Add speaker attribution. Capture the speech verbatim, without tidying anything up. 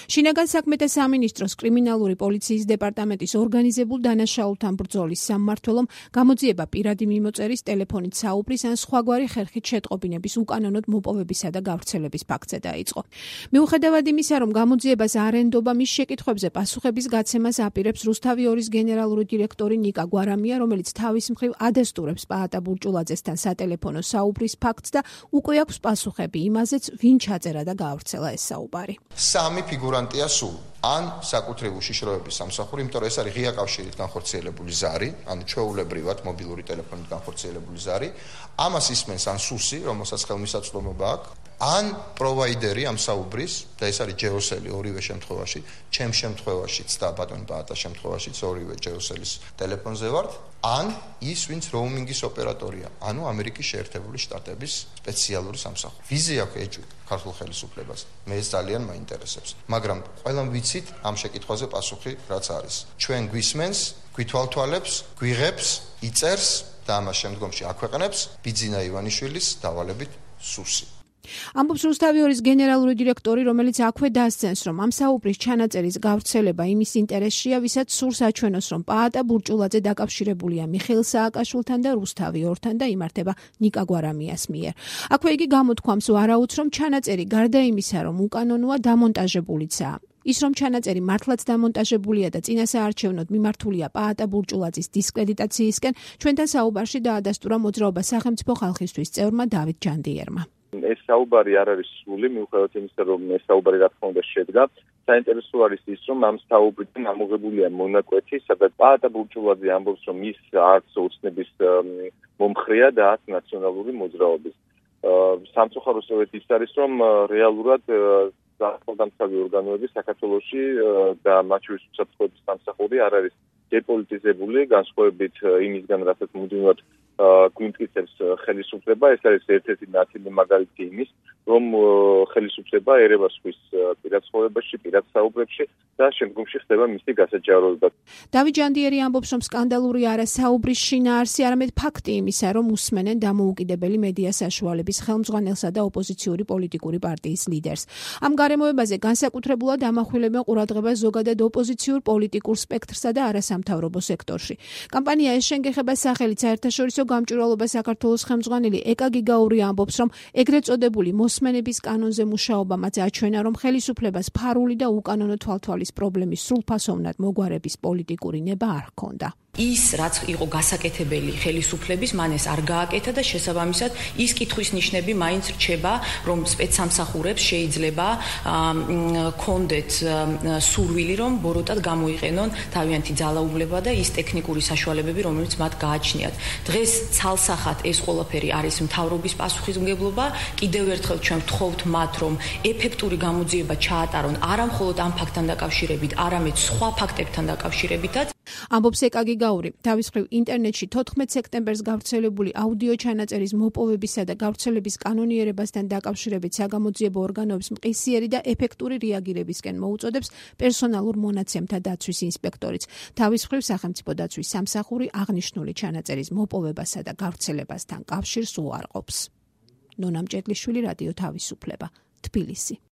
Speaker 1: შინაგან საქმეთა სამინისტროს კრიმინალური პოლიციის დეპარტამენტის ორგანიზებულ დანაშაულთან ბრძოლის სამმართველომ გამოძიება პირადი მიმოწერის, ტელეფონით საუბრის ან სხვაგვარი ხერხით შეტყობინების უკანონოდ მოპოვებისა და გავრცელების ფაქტზე დაიწყო. მიუხედავად იმისა, რომ გამოძიებას არ ენდობა, მის შეკითხვებზე პასუხების გაცემას აპირებს რუსთავი ორის გენერალური დირექტორი ნიკა გვარამია, რომელიც თავის მხრივ ადასტურებს პაატა ბურჭულაძესთან სატელეფონო საუბრის ფაქტს და უკვე აქვს პასუხები იმაზეც, ვინ ჩაწერა და გაავრცელა ეს საუბარი.
Speaker 2: სამი ფიგურანტია სულ. ან საკუთრივ უშიშროების სამსახური, იმიტომ რომ ეს არის ღია კავშირით განხორციელებული ზარი, ანუ ჩვეულებრივად მობილური ტელეფონით განხორციელებული ზარი, ამას ისმენს ან სუსი, რომელსაც ხელმისაწვდომობა აქვს, ან პროვაიდერი ამ საუბრის, და ეს არის ჯეოსელი ორივე შემთხვევაში, ჩემ შემთხვევაშიც და ბატონ პაატას შემთხვევაშიც ორივე ჯეოსელის ტელეფონზე ვართ, ან ის, ვინც როუმინგის ოპერატორია, ანუ ამერიკის შეერთებული შტატების სპეციალური სამსახური. ვიზი აქვს ეჭვი ქართულ ხელისუფლებას. მე ეს ძალიან მაინტერესებს. მაგრამ ყველამ ვიცით ამ შეკითხვაზე პასუხი რაც არის. ჩვენ გვისმენს, გვითვალთვალებს, გვიღებს, იწერს და ამას შემდგომში აქვეყნებს ბიძინა ივანიშვილის დავალებით სუსი.
Speaker 1: ამბობს რუსთავი ორის გენერალური დირექტორი, რომელიც აქვე დასცენს, რომ ამ საუბრის ჩანაწერის გავრცელება იმის ინტერესშია, ვისაც სურს აჩვენოს, რომ პაატა ბურჭულაძე დაკავშირებულია მიხეილ სააკაშვილთან და რუსთავი ორთან და იმართება ნიკა გვარამიას მიერ. აქვე იგი გამოთქვამს ვარაუდს, რომ ჩანაწერი გარდა იმისა, რომ უკანონოა, დამონტაჟებულიცაა. ის რომ ჩანაწერი მართლაც დამონტაჟებულია და წინასაარჩევნოდ მიმართულია პაატა ბურჭულაძის დისკრედიტაციისკენ, ჩვენთან საუბარში დაადასტურა მოძრაობა სახელმწიფო ხალხისთვის წევრმა დავით ჯანდიერმა.
Speaker 3: ეს საუბარი არ არის სრული, მიუხედავად იმისა, რომ ეს საუბარი რა თქმა უნდა შედგა. საინტერესო არის ის, რომ ამ საუბრიდან ამოღებულია მონაკვეთი, სადაც პაატა ბურჭულაძე ამბობს, რომ ის არც ოცნების მომხრეა და არც ნაციონალური მოძრაობის. სამწუხაროდ სწორედ ის არის, რომ რეალურად სახელმწიფო ორგანოები საქართველოში და მათ შორის უსაფრთხოების სამსახური არ არის დეპოლიტიზებული, განსხვავებით იმისგან, რასაც მუდმივად გვიმტკიცებს ხელისუფლება. ეს არის ერთ-ერთი ნაწილი მაგალითი იმის, რომ ხელისუფლება ერევას ხვის პირად ცხოვრებაში, პირად საუბრებში და შემდგომში ხდება მისი გასაჯაროება.
Speaker 1: დავით ჯანდიერი ამბობს, რომ სკანდალური არა საუბრის შინაარსი, არამედ ფაქტი იმისა, რომ უსმენენ დამოუკიდებელი მედია საშუალების ხელმძღვანელსა და ოპოზიციური პოლიტიკური პარტიის ლიდერს. ამ გარემოებაზე განსაკუთრებულად ამახვილებენ ყურადღებას ზოგადად ოპოზიციურ პოლიტიკურ სპექტრსა და არასამთავრობო სექტორში. კამპანია ეს შენგეხება სახელით საერთაშორისო გამჭვირვალობა საქართველოს ხელმძღვანელი ეკა გიგაური ამბობს, რომ ეგრეთ წოდებული მოსმენების კანონზე მუშაობამაც აჩვენა, რომ ხელისუფლებას ფარული და უკანონო თვალთვალის პრობლემის სრულფასოვნად მოგვარების პოლიტიკური ნება არ ჰქონდა.
Speaker 4: ის რაც იყო გასაკეთებელი ხელისუფლების, მან ეს არ გააკეთა და შესაბამისად ის კითხვის ნიშნები მაინც რჩება, რომ სპეცსამსახურებს შეიძლება კონდეთ სურვილი, რომ ბოროტად გამოიყენონ თავიანთი ძალაუფლება და ის ტექნიკური საშუალებები, რომელიც მათ გააჩნიათ. დღეს ცალსახად ეს ყველაფერი არის მთავრობის პასუხისმგებლობა. კიდევ ერთხელ ჩვენ ვთხოვთ მათ, რომ ეფექტური გამოძიება ჩაატარონ არა მხოლოდ ამ ფაქტთან დაკავშირებით, არამედ სხვა ფაქტებთან დაკავშირებითაც.
Speaker 1: ამბობს ეკა გიგაური. თავის მხრივ ინტერნეტში თოთხმეტ სექტემბერს გავრცელებული აუდიო ჩანაწერის მოპოვებისა და გავრცელების კანონიერებასთან დაკავშირებით საგამოძიებო ორგანოებს მყისიერი და ეფექტური რეაგირებისკენ მოუწოდებს პერსონალურ მონაცემთა დაცვის ინსპექტორიც. თავის მხრივ სახელმწიფო დაცვის სამსახური აღნიშნული ჩანაწერის მოპოვებასა და გავრცელებასთან კავშირს უარყოფს. ნონა მჭედლიშვილი, რადიო თავისუფლება, თბილისი.